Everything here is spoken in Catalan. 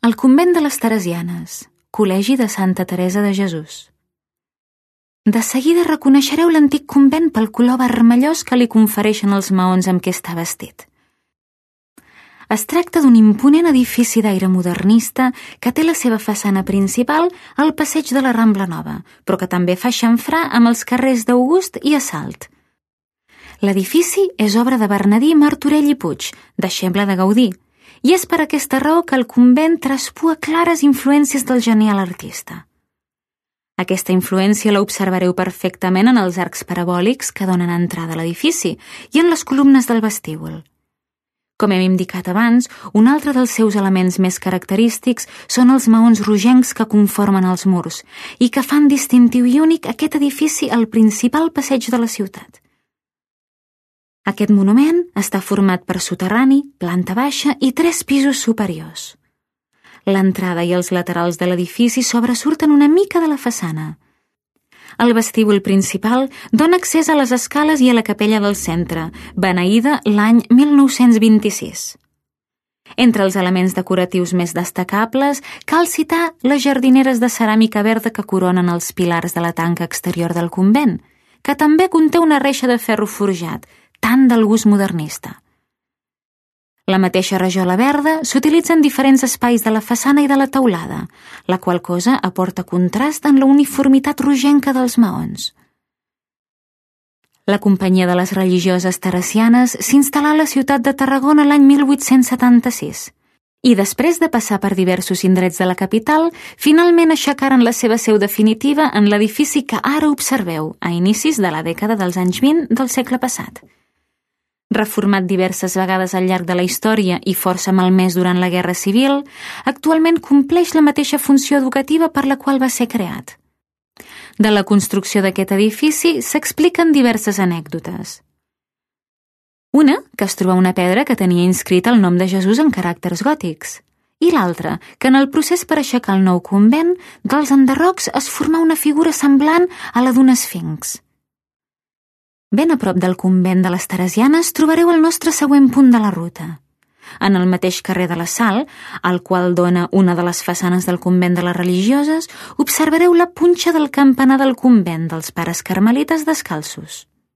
El convent de les Teresianes, col·legi de Santa Teresa de Jesús. De seguida reconeixereu l'antic convent pel color vermellós que li confereixen els maons amb què està vestit. Es tracta d'un imponent edifici d'aire modernista que té la seva façana principal al passeig de la Rambla Nova, però que també fa xamfrà amb els carrers d'August i Assalt. L'edifici és obra de Bernadí Martorell i Puig, deixeble de Gaudí, i és per aquesta raó que el convent traspua clares influències del genial artista. Aquesta influència la observareu perfectament en els arcs parabòlics que donen entrada a l'edifici i en les columnes del vestíbul. Com hem indicat abans, un altre dels seus elements més característics són els maons rogencs que conformen els murs i que fan distintiu i únic aquest edifici al principal passeig de la ciutat. Aquest monument està format per soterrani, planta baixa i 3 pisos superiors. L'entrada i els laterals de l'edifici sobresurten una mica de la façana. El vestíbul principal dona accés a les escales i a la capella del centre, beneïda l'any 1926. Entre els elements decoratius més destacables cal citar les jardineres de ceràmica verda que coronen els pilars de la tanca exterior del convent, que també conté una reixa de ferro forjat, tant del gust modernista. La mateixa rajola verda s'utilitza en diferents espais de la façana i de la teulada, la qual cosa aporta contrast en la uniformitat rogenca dels maons. La Companyia de les Religioses Teresianes s'instal·là a la ciutat de Tarragona l'any 1876 i després de passar per diversos indrets de la capital, finalment aixecaren la seva seu definitiva en l'edifici que ara observeu a inicis de la dècada dels anys 20 del segle passat. Reformat diverses vegades al llarg de la història i força malmès durant la Guerra Civil, actualment compleix la mateixa funció educativa per la qual va ser creat. De la construcció d'aquest edifici s'expliquen diverses anècdotes. Una, que es troba una pedra que tenia inscrit el nom de Jesús en caràcters gòtics, i l'altra, que en el procés per aixecar el nou convent, dels enderrocs es formà una figura semblant a la d'un esfinx. Ben a prop del convent de les Teresianes trobareu el nostre següent punt de la ruta. En el mateix carrer de la Sal, al qual dona una de les façanes del convent de les Religioses, observareu la punxa del campanar del convent dels Pares Carmelites Descalços.